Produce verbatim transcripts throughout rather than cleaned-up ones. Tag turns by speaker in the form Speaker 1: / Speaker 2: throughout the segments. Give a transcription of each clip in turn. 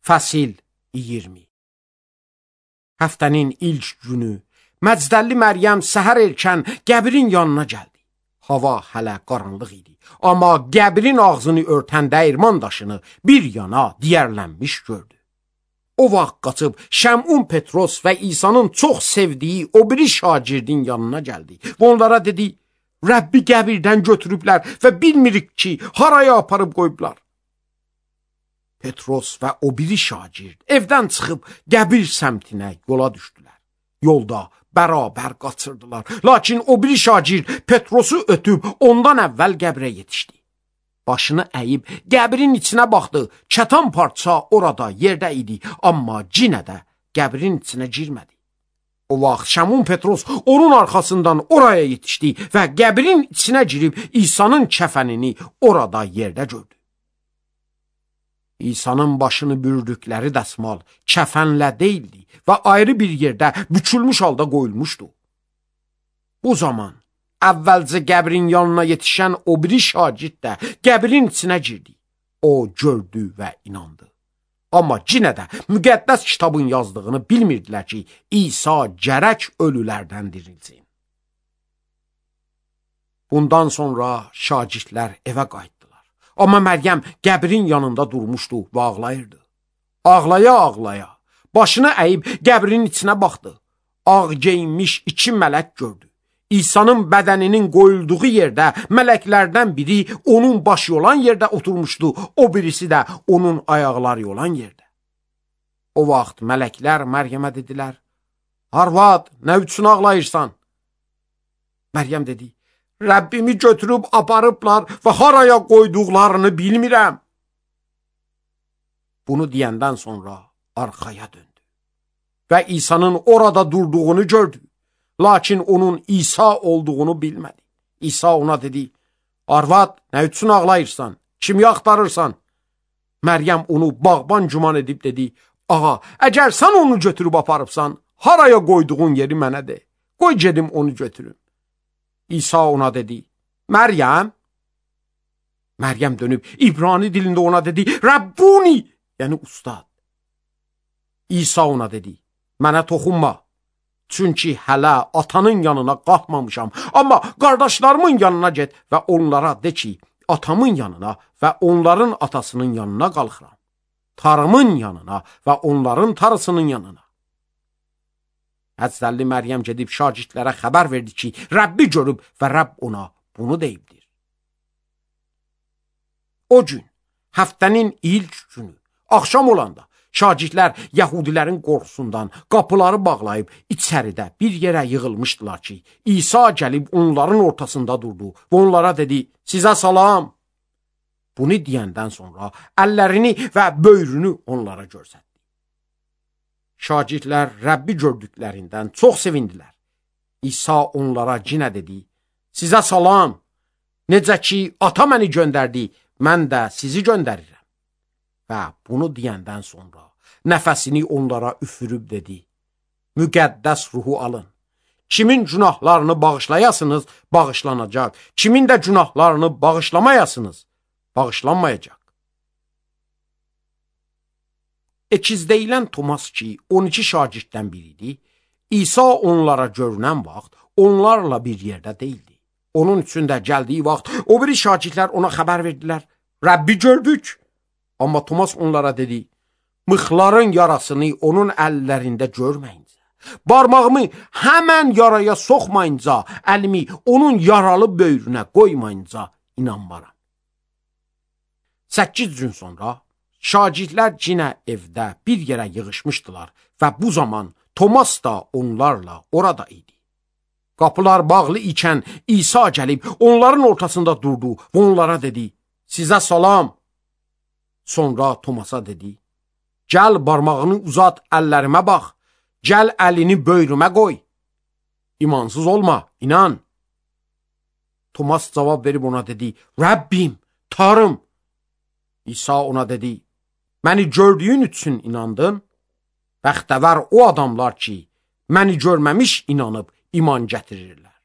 Speaker 1: Fəsil iyirmi. Həftənin ilk günü Məcdəlli Məryəm səhər erkən qəbrin yanına gəldi. Hava hələ qaranlıq idi, amma qəbrin ağzını örtən dəyirman daşını bir yana diyərlənmiş gördü. O vaxt qaçıb Şəmun Petros və İsa'nın çox sevdiyi o biri şagirdin yanına gəldi və onlara dedi: Rəbbi qəbirdən götürüblər və bilmirik ki, haraya aparıb qoyublar. Petros və o biri şagird evdən çıxıb qəbir səmtinə yola düşdülər. Yolda bərabər qaçırdılar. Lakin o biri şagird Petrosu ötüb ondan əvvəl qəbrə yetişdi. Başını əyib qəbrin içinə baxdı. Kətan parça orada yerdə idi, amma yenə də qəbrin içinə girmədi. O vaxt Şəmun Petros onun arxasından oraya yetişdi və qəbrin içinə girib İsa'nın kəfənini orada yerdə gördü. İsa'nın başını bürüdükləri dəsmal kəfənlə deyildi və ayrı bir yerdə bükülmüş halda qoyulmuşdu. Bu zaman əvvəlcə qəbrin yanına yetişən o biri şagird də qəbrin içinə girdi. O gördü və inandı. Amma yenə də müqəddəs kitabın yazdığını bilmirdilər ki, İsa gərək ölülərdən dirilsin. Bundan sonra şagirdlər evə qayıtdılar. Amma Məryəm qəbrin yanında durmuşdu və ağlayırdı. Ağlaya-ağlaya başını əyib qəbrin içinə baxdı. Ağ geyinmiş iki mələk gördü. İsa'nın bədəninin qoyulduğu yerdə mələklərdən biri onun başı olan yerdə oturmuşdu, o birisi də onun ayaqları olan yerdə. O vaxt mələklər Məryəmə dedilər: Arvad, nə üçün ağlayırsan? Məryəm dedi: Rəbbimi götürüb aparıblar və haraya qoyduqlarını bilmirəm. Bunu deyəndən sonra arxaya döndü və İsa'nın orada durduğunu gördü. Lakin onun İsa olduğunu bilmədi. İsa ona dedi: Arvad, nə üçün ağlayırsan? Kimi axtarırsan? Məryəm onu bağban güman edib dedi: Ağa, əgər sən onu götürüb aparıbsan, haraya qoyduğun yeri mənə de. Qoy gedim onu götürüm. İsa ona dedi: Məryəm. Məryəm dönüb İbrani dilində ona dedi: Rabbuni, yəni ustad. İsa ona dedi: Mənə toxunma. Çünki hələ atanın yanına qalxmamışam. Amma qardaşlarımın yanına get və onlara de ki, atamın yanına və onların atasının yanına qalxıram. Tarımın yanına və onların tarısının yanına. Həzrətli Məryəm gedib şagirdlərə xəbər verdi ki, Rəbbi görüb və Rəbb ona bunu deyibdir. O gün, həftənin ilk günü, axşam olanda, şagirdlər Yəhudilərin qorxusundan qapıları bağlayıb içəridə bir yerə yığılmışdılar ki, İsa gəlib onların ortasında durdu və onlara dedi: Sizə salam. Bunu deyəndən sonra əllərini və böyrünü onlara göstərdi. Şagirdlər Rəbbi gördüklərindən çox sevindilər. İsa onlara yenə dedi: Sizə salam. Necə ki, ata məni göndərdi, mən də sizi göndərirəm. Və bunu deyəndən sonra nəfəsini onlara üfürüb dedi: Müqəddəs ruhu alın. Kimin günahlarını bağışlayasınız, bağışlanacaq. Kimin də günahlarını bağışlamayasınız, bağışlanmayacaq. Ekiz deyilən Tomas ki, on iki şagirddən biriydi, İsa onlara görünən vaxt onlarla bir yerdə deyildi. Onun üçün də gəldiyi vaxt o biri şagirdlər ona xəbər verdilər: Rəbbi gördük. Amma Tomas onlara dedi: Mıxların yarasını onun əllərində görməyincə, barmağımı həmən yaraya soxmayınca, əlimi onun yaralı böyrünə qoymayınca inanmaram. Səkkiz gün sonra şagirdlər yenə evdə bir yerə yığışmışdılar və bu zaman Tomas da onlarla orada idi. Qapılar bağlı ikən İsa gəlib onların ortasında durdu və onlara dedi: Sizə salam. Sonra Tomasa dedi: Gəl barmağını uzat, əllərimə bax. Gəl əlini böyrümə qoy. İmansız olma, inan. Tomas cavab verib ona dedi: Rəbbim, Tanrım. İsa ona dedi: Məni gördüyün üçün inandın. Bəxtəvər o adamlar ki, məni görməmiş inanıb iman gətirirlər.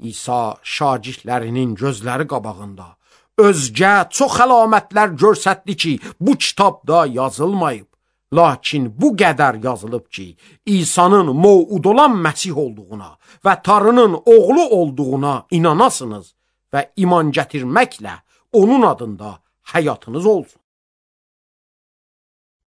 Speaker 1: İsa şagirdlərinin gözləri qabağında özgə çox əlamətlər göstərdi ki, bu kitabda yazılmayıb. Lakin bu qədər yazılıb ki, İsa'nın mövud olan Məsih olduğuna və Tanrının oğlu olduğuna inanasınız və iman gətirməklə onun adında həyatınız olsun.